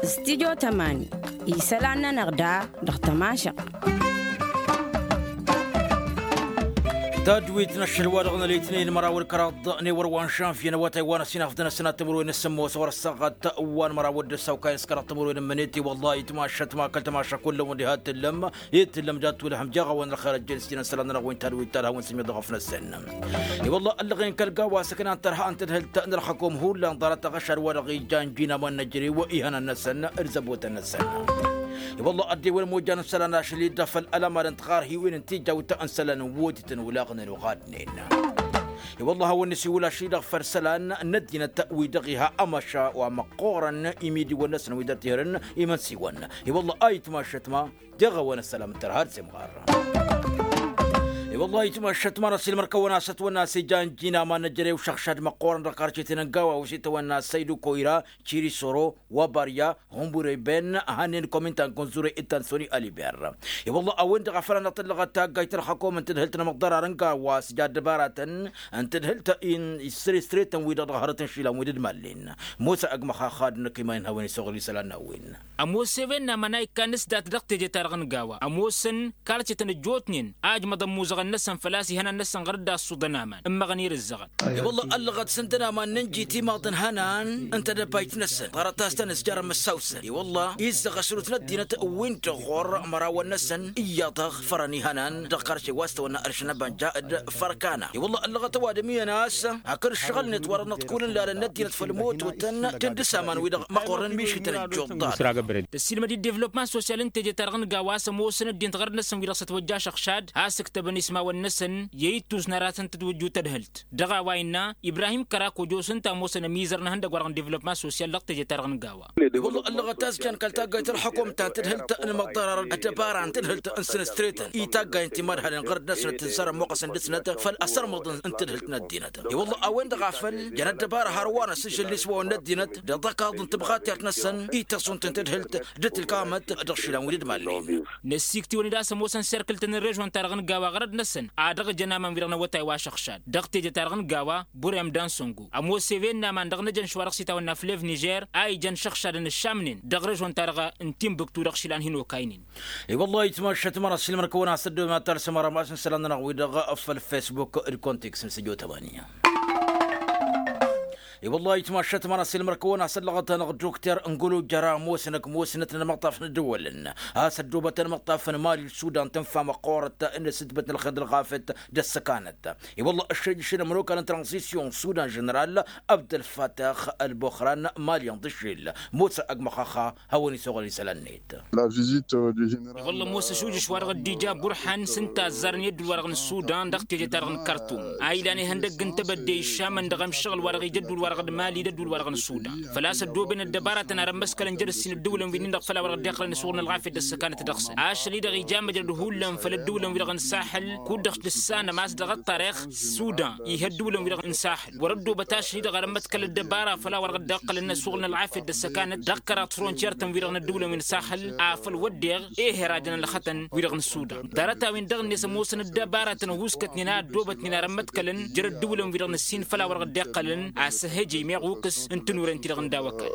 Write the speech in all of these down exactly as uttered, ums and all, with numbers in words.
Stidyo tămani isălan-nănăɣ da dăɣ-tămašăɣt. Tadwit n-ašăl wa dăɣ-nălitnen măraw d-kăraḍ n-ewăr wa n-žănvye n-awătay wa n-ăsinafdăn ăsănat timǝrwen n-sǝmmos ɣur-ăssaɣăt wa n-măraw d-ăssaw kayăn s-kăraḍ timǝrwen n-mănet i-wălla itmašăt ma kăl-tămašăk wăllăwăn diha t-tǝllăm. Itǝllăm dat-wălhăm jeɣ-awăn ălxer ăjjel s-tinăn isălan-nănăɣ wi n-tadwit talhăwăn s-imyăḍ ɣăf-năsăn. I-wălla ăllăɣen kăl-gawa s-aknan tărha n-tadhǝlt n-ălxăkom hullan ḍarăt aɣăšad wa dăɣ-ija n-jin aman n-ejărew ihănan-năsăn d-zăbotăn-năsăn. I-wălla ăddewăn mojan n-isălan ašăl-i-dd afăl ălămadăn tiɣarhiwen n-tijawt n-isălan n-wotităn olaɣnen oɣadnen. I-wălla hawăn-nǝsiwǝl ašăl-i-dăɣ făll-isălan n-ăddinăt wi dăɣ-iha ămăša wa măqqoorăn imidiwăn-năsăn wi dăr-tihrǝn imănsiwăn. I-wălla a itmašăt ma deɣ-awăn ăssălam n-tărha d-semɣar. I-wălla itmašăt ma n-ăsilmăr kăwăn-asăt wănna s-ija n-jin aman n-ejărew šăɣšad măqqoorăn dăɣ-karcetăn n-gawa wăsităwăn n-asăydu koyra cirisoro wa barya hunbure ben hannen komintan kunzure ittan soni aliber. I-wălla a-wen-dăɣ a făl anăɣ-tǝllăɣăt taggayt ălxăkom n-tǝdhǝlt n-amăḍḍărar n-gawa s-ja ăddăbaratăn n-tǝdhǝlt n-isresretăn-wi-dăɣ dăɣ-hărăt n-išilan wi dd-mallen. Mosa ăgg măxaxad n-akăyman n-hawăn-isăɣǝl isălan n-a-wen. Ămoos ewen n-aman a ikkan s-dat dăɣ-teje-ta-dăɣ n-gawa ămoosăn karcetăn ăjjootnen a ǝjmăḍăn imuzăɣăn-năsăn făl-a-s ihănan-năsăn ɣărăt d-aṣṣuḍăn aman n-imăɣăn irǝzzăɣăn. I-wălla ăllăɣăt s-ǝndăn aman n-ǝnji timaḍ n-ihănan n-tedăbayt-năsăn ḍarăt a-s tăn-ǝzjarăn măssawsăn i-wălla izzăɣ ăsrut n-ăddinăt wi n-dăɣ ɣur-imărawăn-năsăn iyyăḍ-dăɣ fărăn ihănan dăɣ-karše wa s-tăwănna ăršăn ăbanja d-fărkana i-wălla ăllăɣăt ăwadǝm iyyăn a-s hakd ǝššăɣǝl-net wa dăɣ-năḍkulăn lalăn n-ăddinăt făll-imututăn tǝndǝs aman-wi-dăɣ măqqorăn mišităn ăjjuḍ-ḍarăt. Tăssiilmăd-dd devlopman sosyal n-teje-ta-dăɣ n-gawa a-s ămoosăn ăddinăt ɣărăt-năsăn wi-dăɣ s-ătwăjja ašăɣšad a-s ǝktăbăn ismawăn-năsăn i-ittus n-aratăn tǝtwǝjju tadhǝlt dăɣ-a-wa innă ibrahim kărak ojos ǝnta ămoosăn ămizăr n-ehăndăgg-wa-dăɣ n-devlopman sosyal dăɣ-teje-ta-dăɣ n-gawa. I-wălla ăllăɣăt a-s jan kăl-taggayt ălxăkom ta n-tadhǝlt n-imăḍḍărar d-ăddăbara n-tadhǝlt n-săn s-tretăn i-taggay n-timărhalăn ɣărăt-năsnăt tǝzzar ămmuɣăsăn dăr-snăt făll-asărmăḍ n-tadhǝlt n-ăddinăt i-wălla a-wen-dăɣ a făl jăn ăddăbara hărwa n-asǝžžǝl n-iswawăn n-ăddinăt d-aḍăkaḍ n-tibɣat i-ad-năsăn i-tăṣunt n-tadhǝlt d-tǝlkamăt dăɣ-išilan wi dd-malnen. Năssiiktiwăn-dd a-s ămoosăn serkǝl-tăn n-režon-ta-dăɣ n-gawa ɣărăt-năsăn ad-dăɣ-jăn aman wi-dăɣ n-awătay wa šăɣšad dăɣ-teje-ta-dăɣ n-gawa burem d-ansăngo ămoos ewen n-aman dăɣ-năjănš wa dăɣ-s itawănna flev nižer a ijăn šăɣšadăn ǝššamnen dăɣ-režon-ta-dăɣ n-timbuktu dăɣ-išilan hin-okaynen. I-wăllah itmaššăt mărăs ilmăr-kăwăn-asăt dăɣ-ma talsăm arămas n-isălan-nănăɣ wi-dăɣ făll-fesbuk d-konteks n-săjo tămani. I-wăllah itmaššăt mărăs ilmăr-kăwăn-asăt lăɣăt-anăɣ dokter n-gălo jăra ămoosăn ăkmos-năt n-amăṭṭaf n-ăddăwălăn a-s ăddoobătăn amăṭṭaf n-mali d-sudan tǝnfa măqqoorăt n-asǝtbăt n-ălxer d-ălɣafyăt d-ăssăkanăt. I-wăllah ăššăjjăšăn ămănokal n-tranzisyon sudan ženeral abdălfatăx ălboxran mali n-dăšel mosa ăgg măxaxa hawăn-isoɣăl isălan-net. I-wălla ămoos ašujǝš wa dăɣ-ăddija burhan s-ǝnta a ăzzarăn i-ădduul-wa-dăɣ n-sudan dăɣ-teje-ta-dăɣ n-kartum a ilan ihăndăgg n-tebădde iššamăn dăɣ-emšăɣǝl-wa-dăɣ ija ădduul-wa-dăɣ d-mali d-ădduul-wa-dăɣ n-sudan făl-a-s ăddooben ăddăbaratăn ar ămmăskălăn jer-ǝssin ăddǝwǝlăn-wi-dăɣ făll-a-wăr ăddăɣ-tălăn ǝsɣurăn ălɣafyăt d-ăssăkanăt dăɣ-săn ašăl-i-dăɣ ija măjrăd hullan făll-ăddǝwǝlăn-wi-dăɣ n-saxǝl kud-dăɣ tǝssanăm a-s dăɣ-ăṭṭarix sudan ih' ăddǝwǝlăn-wi-dăɣ n-saxǝl wăr-ăddoobăt ašăl-i-dăɣ ar ămmăḍkăl ăddăbara făll-a-wăr ăddăɣ-tălăn ăsɣurăn ălɣafyăt d-ăssăkanăt dăɣ-kăraḍ frontiyer-tăn-wi-dăɣ n-ăddǝwǝlăn-wi n-saxǝl afăl wădden ehăr a jăn ălxătăn wi-dăɣ n-sudan ḍarăt-a-wen dăɣ-net ămoosăn ăddăbaratăn ăhuuskătnen a ăddoobătnen ar ămmăḍkălăn jer-ăddǝwǝlăn-wi-dăɣ n-ǝssin făll-a-wăr ăddăɣ-tălăn a-s ăhhăjăy meɣ ukǝs n-tinurent-i-dăɣ n-daw-ăkall.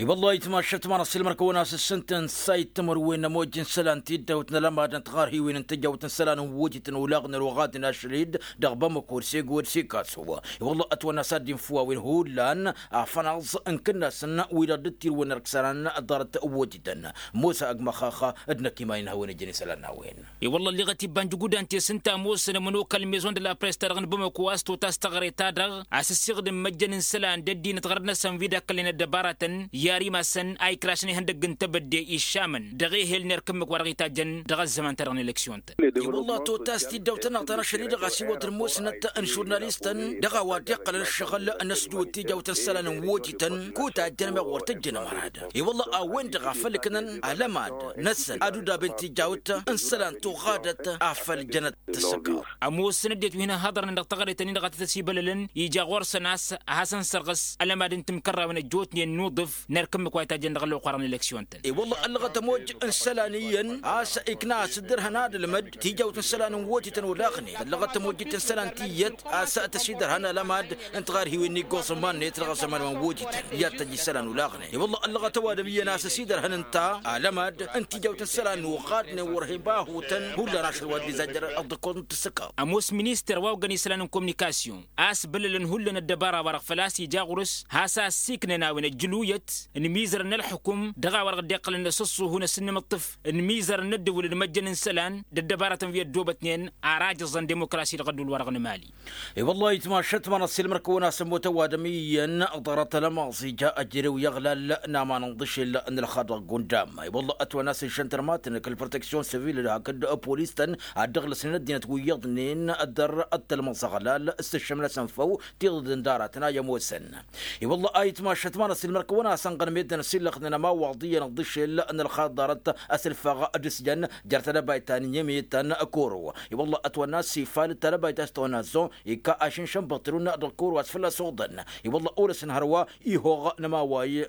I-wăllah itmaššăt mărăs ilmăr-kăwăn-asăssǝntăn sayt timǝrwen n-ămojj n-isălan tiddawt n-alămad n-tiɣarhiwen n-tǝjjawt n-isălan n-wojităn olaɣnen oɣadnen ašăl-i-dd dăɣ-bamăko d-sego d-sikaso. I-wăllah ătwănna s-ad-dd-infǝw a-wen hullan afănaẓ n-kǝnnasăn wi-dăɣ dd-tirǝwăn ărksanan ḍarăt wojităn mosa ăgg măxaxa d-năkk iman-in hawăn-ijăn isălan n-a-wen. I-wălla ălleɣăt iba n-jǝgudan ti-s ǝnta a ămoosăn ămănokal n-maison de la press-ta-dăɣ n-bamăko a-s tota s-taɣre-ta-dăɣ a-s ǝssiɣdǝm măjjăn n-isălan d-ăddinăt ɣărăt-năsăn wi d-akkălnen ăddăbaratăn i-ar imassăn a ikrasăn ihăndăgg n-tebădde iššamăn dăɣ-ehel n-erk ǝmmǝk wa dăɣ-itajjăn dăɣ-ăzzăman-ta-dăɣ n-eleksyon-tăn. I-wălla totas tiddawt-ta-dăɣ ta n-ašăl-i-dăɣ a-s iwăḍ ămoosnăt n-žurnalistăn dăɣ-a-wa dd-iqqălăn ǝššăɣǝl n-ăsdǝwǝd tijawt n-isălan n-wojităn kud-tajjăn meɣ wăr tǝjjăn ămărad. I-wălla a-wen-dăɣ a făl ǝknăn alămad-năsăn ad-udab n-tijawt n-isălan tuɣadăt afăl jănăt tǝssăkaw. Ămoosăn ăddinăt wi hin-ăhhăḍărnen dăɣ-taɣăre-tăn-in-dăɣ a tăt-ăsibălălăn ija ɣur-s ǝjjăḍ-tăn a-s ad-hasăn-sărɣǝs ălămad n-timkărrawen ăjjootnen n-uḍǝf n-erk ǝmmǝk wa itajjăn dăɣ-ălwăqq wa dăɣ-n eleksyon-tăn. I-wălla ăllăɣăt ămooj n-isălan iyyăn a-s ikna a-s dd-irhăn ad-ǝlmăd tijawt n-isălan n-wotităn olaɣnen ăllăɣăt ămooj d-isălan tiyyăt a-s tăsidărhăn ălămad n-tiɣarhiwen n-iggoẓ n-iman-net dăɣ-aẓăman wa n-wotităn i-ad-tăjj isălan olaɣnen. I-wălla ăllăɣăt ăwadǝm iyyăn a-s ăsidărhăn ǝnta ălămad n-tijawt n-isălan n-uɣadnen wăr he-bahutăn hullan ašăl wa dd-izajjăr ăḍḍăkkoẓ n-tǝssǝkaḍ. Ămoos minister wa oggăn isălan n-kominikasyon a-s bălălăn hullan ăddăbara-wa-dăɣ făl-a-s ija ɣur-s has-assiknăn a-wen ăjjǝluyăt n-imizărăn n-ălxǝkum dăɣ-a-wa-dăɣ dd-iqqălăn s-ǝṣṣuhu n-ăsǝnnǝmǝṭṭǝf n-imizărăn n-ăddǝwǝl d-imăjjăn n-isălan d-ăddăbarătăn wi ăddoobătnen ar ajǝẓăn dimukrasi dăɣ-ădduul-wa-dăɣ n-emali. I-wăllah ayǝtmašat ma n-ăssiilmăr-kăwăn a-s ămmootăn ăwadǝm iyyăn ḍarăt ălămaẓ ija ăjrew i-aɣlal n-aman n-iḍǝšel n-ălxaḍ dăɣ-gundam. I-wăllah ătwănna s-iššăn tărmatăn kăl-proteksyon sivil hakd polis-tăn ad-dd-ăɣlăsnen ăddinăt wi iyyăḍnen dăr-ăttălmăẓ aɣlal s-ǝššămnăsăn făw tiḍǝd n-daratăn a i-ămoosăn. I-wălla a itmašăt ma n-ăsilmăr-kăwăn a-s ănɣănmedăn ăsillăxnen ămawaḍ iyyăn ǝḍǝšel n-ălxaḍarăt asǝlfăɣ d-asǝjăn jer-tadăbayt ta n-inyămetăn koro. I-wălla ătwănna s-ifal d-tadăbayt a-s tăwănna zon ikka ašǝnšăn băṭṭărun dăɣ-koro a-s fălla-s oḍăn. I-wălla orăsăn hărwa ihoɣ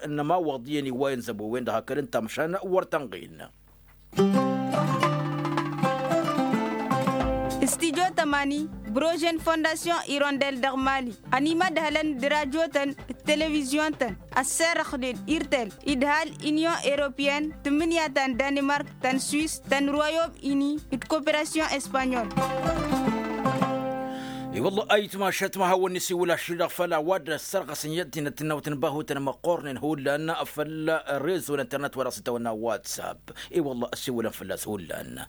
n-ămawaḍ iyyăn iwwayăn zăbo-wen-dăɣ hakd ǝnta măšan wăr tănɣin. Studyo tămani brožen fondasyon irondel dăɣ-mali ănimădhălăn d-rajotăn d-televizyon-tăn ăsserăxnen irtel idhal inyon europeyăn tǝmmǝnǝya ta n-danimark ta n-swis ta n-royom ini d-koperasyon espanyol. I-wălla a itmašăt ma hawăn-nǝsiwǝl ašri-dăɣ făll-a-wa dd-ăssărɣăsăn i-ăddinăt n-awǝtăn bahutăn măqqornen hullan făll-rezo n-internet wa dăɣ-s ǝntawănna whatsapp. I-wălla ăssiwǝlăn fălla-s hullan.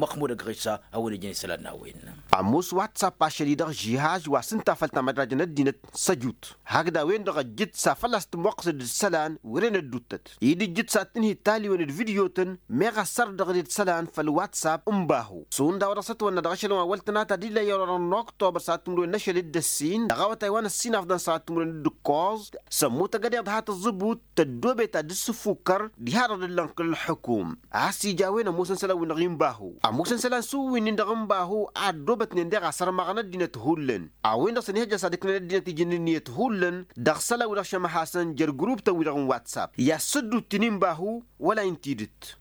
Măxmud ăgg ɣisa a-wen ijăn isălan n-a-wen. Ămoos whatsapp ašăl-i-dăɣ žihaz wa s-ǝnta făll-tamădrajăn ăddinăt săjut hakd a-wen-dăɣ ăjjǝt s-afăl a-s tǝmwăqqǝsăd d-isălan wăren ădduuttăt-i d-ǝjjǝt s-ad-tǝnhǝy taliwen d-vidyo-tăn meɣ ăssărḍăɣ-dd isălan făll-whatsapp n-bahu. Šund a-wa dăɣ-s ătwănna dăɣ-ašăl n-wa wăl tănata d-illa i-orăr n-oktobăr s-ad-tǝmrǝwen n-ašăl d-ăssin dăɣ-awătay wa n-ăssinafḍăn s-ad-tǝmrǝwen d-ǝkkoẓ. Sămmut ăgg-ădeḍ ha tăẓẓǝbut tăddoobet ad-dd-sǝffukăr diha-dăɣ dd-ǝllănk ǝlxǝkum. A-s ija a-wen ămoosăn isălan-win-dăɣ inbahu ămoosăn isălan s-uwwin-in-dăɣ inbahu a ăddoobătnen deɣ a sărmăɣăn ăddinăt hullan. A-wen-dăɣ s-ănihăjja s-ad-ǝknen ăddinăt ijǝnnin ǝnniyăt hullan dăɣ-isălan-wi-dăɣ šămăhasăn jer-guruptăn-wi-dăɣ n-whatsapp i-ad-săddut-in inbahu wăla-i n-tidǝt.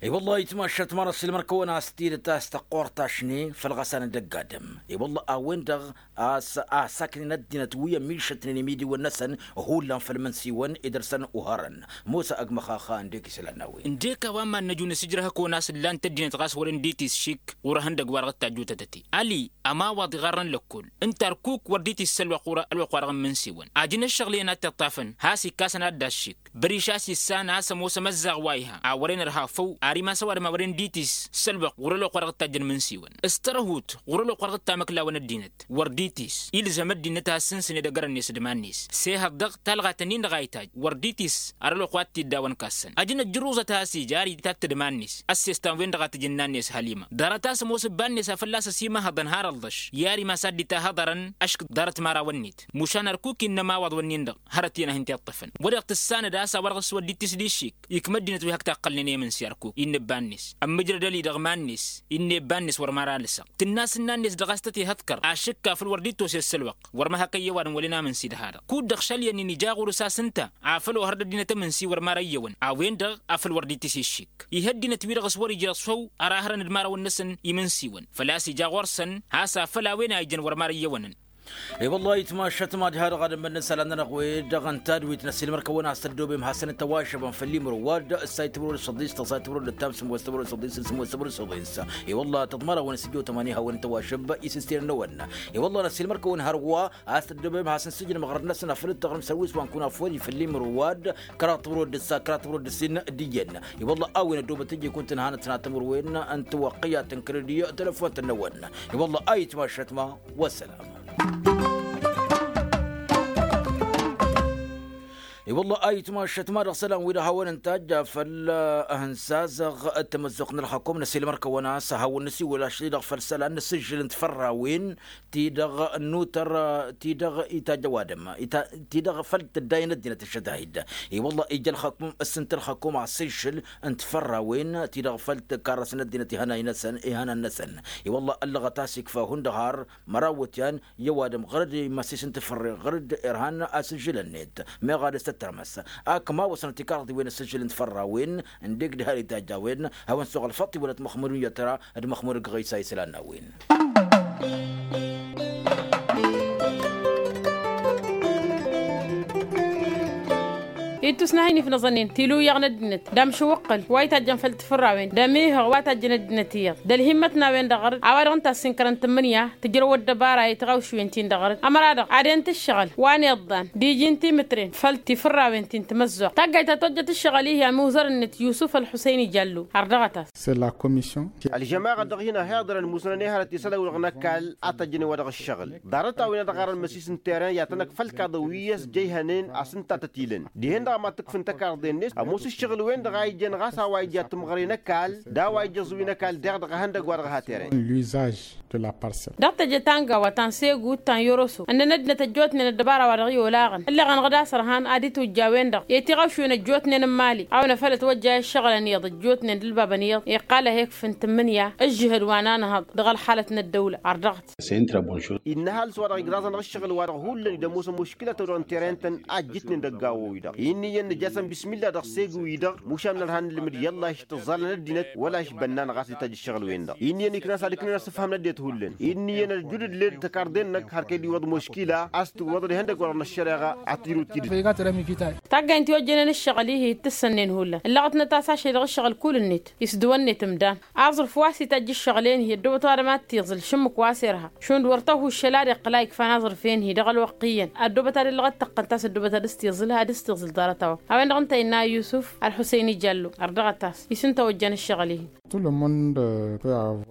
I-wăllah itmašat ma n-ăssiilmăr-kăwăn a-s tidǝt a-s tăqqor tašne făll-iɣăsan n-dăgg-adǝm. I-wăllah a-wen-dăɣ a-s asaknen ăddinăt wi ămišătnen imidiwăn-năsăn hullan făll-imǝnsiwăn idăr-săn uhărăn. Musa ăgg măxaxa ǝndek isălan n-a-wen. Ǝndek a-wa n-iman-năj unǝsǝjrăh ăkăwăn a-s ǝllan-t ăddinăt ɣas wăren dd-tisšik ɣur-ehăndăgg-wa-dăɣ dd-tajjutătăte ali ămawaḍ iɣarrăn lăkkol ǝnta ărkuk wăr dd-tissălwăq ɣur-ălwăqq-wa-dăɣ n-imǝnsiwăn. Ajǝn ăššăɣǝlăyăn ad-t-iṭṭafăn has-ikkas ănadd aššik băriš a-s issan a-s ămoos amăzzaɣ wa iha a wăren ărha făw ar imass ăwadǝm a wăren dd-tissălwăq ɣur-ălwăqq wa dăɣ-dd-tajjăn imǝnsiwăn s-tărhut ɣur-ălwăqq wa dăɣ-dd-tamăklawăn ăddinăt wăr dd-tiss ilzăm ăddinăt a ăssǝnsǝn edăgg-arăn-net d-iman-net. S-ehăḍ dăɣ-talɣa tăn-in-dăɣ a itajj wăr dd-tiss ar ălwăqq wa t-tiddawăn kassăn ajăn ăjjăruẓăt a has-ija ar itat d-iman-net. Ăssestan-wen-dăɣ a tǝjǝnna-net hălima ḍarăt a-s ămoos ǝbba-net a fălla-s ăsimăhăḍăn har ălḍăš i-ar imass ad-dd-itahăḍărăn ăšk ḍarăt imărawăn-net. Mušan ărkuk innă ămawaḍ-wǝnnin-dăɣ hărăt-in a hin-t-iṭṭăfăn. Wăr-dăɣ tǝssanăd a-s a wăr dăɣ-s wăr dd-tisdǝššik ikmăd-dinăt wi hak taqqălnen i-imǝnsi ărkuk innă ǝbba-net ămmǝjrăd ăli dăɣ-iman-net. Innă i-ǝbba-net wăr mara alǝsăɣ tǝnna s-ǝnna-net dăɣ-a-s tăt-ihăḍkăr ašǝkka făl wăr dd-tosesălwăqq wăr măhăkăyyăwadăn wălen amǝnsi d-ha-dăɣ kud-dăɣ šăl i-ănnin ija ɣur-s a-s ǝnta afăl ohăr d-ăddinăt amǝnsi wăr mara iyyăwăn a-wen-dăɣ afăl wăr dd-tisǝššik. Ih' ăddinăt-wi-dăɣ s-wăr-ija s-făw ărahărăn d-imărawăn-năsăn imǝnsiwăn făl-a-s ija ɣur-săn has-afăl a-wen a ijăn wăr mara iyyăwănăn. I-wăllah itmašat mad-ha-dăɣ ad-ămmănna isălan-nănăɣ-wen-dăɣ ǝnta d-wi t-năsilmăr-kăwăn a-s tăddoobem hasăn-tăwažăbăn făll-imǝrǝw wa dd-ǝssay timǝrwen d-săḍis tăẓay timǝrwen d-ǝttam sǝmmos timǝrwen d-săḍis sǝmmos timǝrwen d-săḍis. I-wăllah tăḍmărawăn s-ǝjjo tămani hawăn-tăwažăb isǝstinăn-năwăn. I-wăllah năsilmăr-kăwăn hărwa a-s tăddoobem hasăn-sǝjǝnăm ɣărăt-năsăn afăl ǝttăɣrǝm sărwis wa n-kunafori făll-imǝrǝw wa dd-kăraḍ timǝrwen d-ǝssa kăraḍ timǝrwen d-ǝssin d-iyyăn. I-wăllah a-wen ăddoobăt ǝjjǝy kunta ǝnhanăt tănat timǝrwen n-tiwăqqǝyat n-kredi telăfont-năwăn. I-wăllah a itmašat ma. Wăssălam. I-wălla a itmašăt ma-dăɣ isălan-wi-dăɣ hawăn-ǝntajj făll-ahǝnsazăɣ d-tamăzzuɣt n-ălxăkum n-asilmăr-kăwăn a-s hawăn-nǝsiwǝl ašli-dăɣ făll-isălan n-asǝžžǝl n-tifărrawen ti-dăɣ n-utăr ti-dăɣ itajj ăwadǝm ti-dăɣ făll-tǝddayăn ăddinăt ăššădahid. I-wălla ija ălxăkum ǝssǝnt ălxăkum asǝžžǝl n-tifărrawen ti-dăɣ făll-tǝkarrăsăn ăddinăt ihănan-năsăn. I-wălla ăllăɣăt a-s ikfa hundăɣ har măraw wătyan i-ăwadǝm ɣărăd imăssis n-tafărre ɣărăd irhan asǝžžǝl-net meɣ ad-ăstăttărmăs. Ak ma wăsnăt ikarḍiwen asǝžžǝl n-tifărrawen n-deg d-har itajj a-wen hawăn-suɣ ălfăṭṭ iwălăt măxmud n-iyyăt ra d-măxmud ăgg ɣisa isălan n-a-wen. Ittus n-ahin ifnăẓănnen tiluyăɣ n-ăddinăt d-amšǝwwăqqăl wa itajjăn făll-tifărrawen d-amihăɣ wa tajjăn ăddinăt iyyăḍ d-ălhimmăt n-a-wen-dăɣ ɣărăd a-wa-dăɣ ǝnta a-s inkărăn tǝmmǝnǝya tǝjrăw ăddăbara i-tiɣawšwen-tin-dăɣ ɣărăd ămăra-dăɣ ad-en-tǝššăɣǝl wa n-iḍḍan d-iji n-timǝtren făll-tifărrawen ti n-timăzzuɣt taggayt ta tojjăt ǝššăɣǝl-ihi amuzăr-net yusǝf ălxusăyni jallu. Ardăɣăt-as. Ălžămaɣăt dăɣ-hin-ăhiḍărăn musnăn i-hărăt isălan-wi-dăɣ n-ăkall a tăjjăn i-wa dăɣ-ǝššăɣǝl ḍarăt-a-wen a dăɣ-arăn măsis n-terăyăn i-ad-tăn-ăkf ălkaḍăn wi ăsjăyhănen a-s ǝnta a tăt-ilăn dihen-dăɣ a mad-tǝkfǝn takarḍe-net ămoos ǝššăɣǝl-wen-dăɣ a ijăn ɣas a-wa ija timɣăre n-ăkall d-a-wa ija ǝẓǝwi n-ăkall deɣ dăɣ-ehăndăgg-wa-dăɣ ha terăyăn. Dăɣ-teje ta n-gawa ta n-segu ta n-yoroso ǝnnăn ăddinăt ăjjootnen ăddăbara-wa-dăɣ i-olaɣăn ǝlleɣ-anăɣ d-asărhan ad-itujj a-wen-dăɣ i-tiɣawšwen ăjjootnen n-imali a-wen afăl ătwăjjay ăššăɣǝlăn iyyăḍ ăjjootnen d-ǝlbabăn iyyăḍ iqqal a he-ikfǝn tǝmmǝnǝya ǝžžǝhăd wa n-anhăḍ dăɣ-ălxalăt n-ăddăwla. Ardăɣăt. Innă ăhalǝs-wa-dăɣ igraẓ-anăɣ ǝššăɣǝl-wa-dăɣ hullan-dd ămoosăn muškǝla-tăw-dăɣ n-terăyăn-tăn a ǝjjǝtnen dăgg-awăw-i-dăɣ inn'-iyyăn nǝja-săn bismilla dăɣ-segu-i-dăɣ mušan n-ărhan n-ǝlmǝd i-ălla ištǝẓẓalăn ăddinăt wăla išbănnan ɣas d-itajj ǝššăɣǝl-wen-dăɣ. Inn'-iyyăn ikna s-ad-ǝknen asǝfham n-ăddinăt hullan inn'-iyyăn ăljudd ǝlled tăkarḍe-năk har kăy-dd-iwwăḍ muškila a-s tiwwăḍăd ihăndăgg-wa-dăɣ n-ăššăreɣa ad-tǝjrǝw tidǝt. Taggaynt i-ojjănen ǝššăɣǝl-ihi d-tǝssănnen hullan ǝllăɣătnăt a-s ašăl dăɣ-ǝššăɣǝl kull-net isdǝwănnet ǝmdan aẓrǝf wa s-itajj ǝššăɣǝl-en-hi ăddoobăt ăwadǝm ad-t-iẓǝl šǝmmǝk wa s-irha šund wăr tăhu ǝššăl ad-iqqǝl a ikfan aẓrǝf-en-hi dăɣ-ălwăqq iyyăn ăddoobăt ad-illăɣ ad-tăqqăn ta s-ăddoobăt ad-s-t-iẓǝl ad-s-t-iẓǝl ḍarăt-a-wa. A-wen-dăɣ ǝnta innă a yusǝf ălxuseyn ijallu. Ardăɣăt-as isǝnta ojjan ǝššăɣǝl-ihi.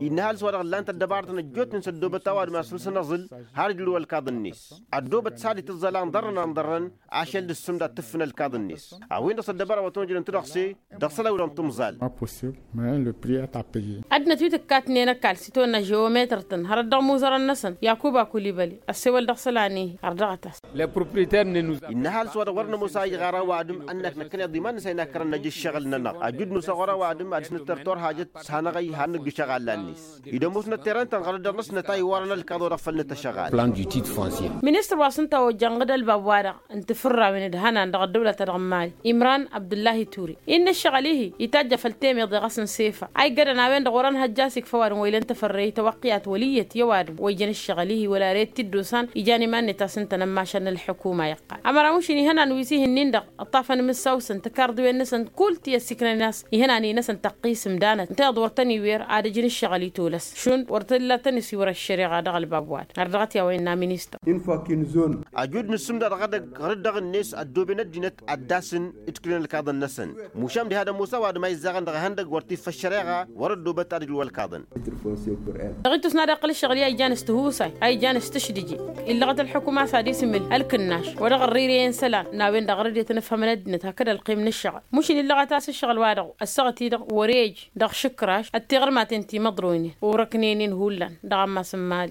Innă ăhalǝs-wa-dăɣ ǝllan-t ăddăbarătăn ăjjootnen s-ăddoobăt ăwadǝm a-s ǝlsăn aẓǝl har ǝjrǝw ălkaḍ-net ăddoobăt s-ad-itǝẓẓal anḍărrăn anḍărrăn ašăl d-ǝssǝmda ad-tǝffǝn ălkaḍ-net. A-wen-dăɣ s-ăddăbara wa tăn-ojrăn tǝdăɣse dăɣ-isălan-wi-dăɣ n-timẓal. Ăddinăt wi tǝkkatnen ăkall s-itwănna žewometăr-tăn hărăt dăɣ-imuzărăn-năsăn yakuba kulibăli ăssewăl dăɣ-isălan-ihi. Ardăɣăt-as. Innă ăhalǝs-wa-dăɣ wăr nămoos a ijɣar ăwadǝm ănnak năkkăneḍ iman-năsăn inakkărăn năj ǝššăɣǝl-nănăɣ ăjud-nos a ɣur-ăwadǝm ad-dăɣ-s nǝttăr turhajăt s-hanăɣ-ăyy han nǝggǝš aɣalla-net. Id-ămoosnăt terăntăn ɣărăt dăɣ-năsnăt a iwwărăn ălkaḍ-wa-dăɣ făll-nǝtăšăɣal. Plan du titre foncier. Ministăr wa s-ǝnta ojjăn ɣǝd ălbab-wa-dăɣ n-tifǝrrawen d-ihănan dăɣ-ăddăwla-ta-dăɣ n-mali imran abdǝllahi ture innă ǝššăɣǝl-ihi itajj a făl temeḍe ɣas n-sefa a iggădăn a-wen-dăɣ wăr-ănhăjja a-s ikfa ăwadǝm wa ilăn tafărreyt tawăqqiyat wăl' iyyăt i-ăwadǝm wa ijăn ǝššăɣǝl-ihi wăla ret t-dd-osan ijan iman-net a-s ǝntăn ămmašal n-ălḥukuma iqqal ămăra mušin ihănan wi s-ihǝnnin-dăɣ ǝṭṭafăn imǝssawsăn tǝkarḍiwen-năsăn kull ti ăssiiknănen a-s ihănan-i-năsăn tăqqis ǝmdanăt ǝnta iyyăḍ wăr tăn-iwer ad-ǝjǝn ǝššăɣǝl i-tolăs šund wăr t-illa tăn-isiwăr ăššăreɣa dăɣ-ălbab wa-dăɣ. Ardăɣăt i-a-wa innă ministăr. Ajud n-ǝssǝmdăɣ dăɣ-edăgg ɣărăt dăɣ-net ăddooben ăddinăt ad-dd-asǝn d-kǝlăn ălkaḍăn-năsăn mušam diha d-ămoos ăwadǝm a izzaɣăn dăɣ-ihăndăgg wăr t-iffă ăššăreɣa wăr-ăddoobăt ad-ǝjrǝw ălkaḍăn. Dăɣ-itus n-ad-iqqǝl ǝššăɣǝl i-a ijan s-tihusay a ijan s-tǝšdǝje illăɣăt ălḥukuma a-s ad-isǝmǝl ălkǝnnaš wa dăɣ-ărrǝyre i-isălan n-a-wen-dăɣ ɣărăd i-tăn-ǝfhămăn ăddinăt hakd ălqim n-ǝššăɣǝl mušǝn illăɣăt a-s ǝššăɣǝl-wa-dăɣ ăssaɣăt-i-dăɣ wăr-ej dăɣ-išǝkraš d-tiɣărmaten ti măḍroynen orăknen-in hullan dăɣ-ammas n-mali.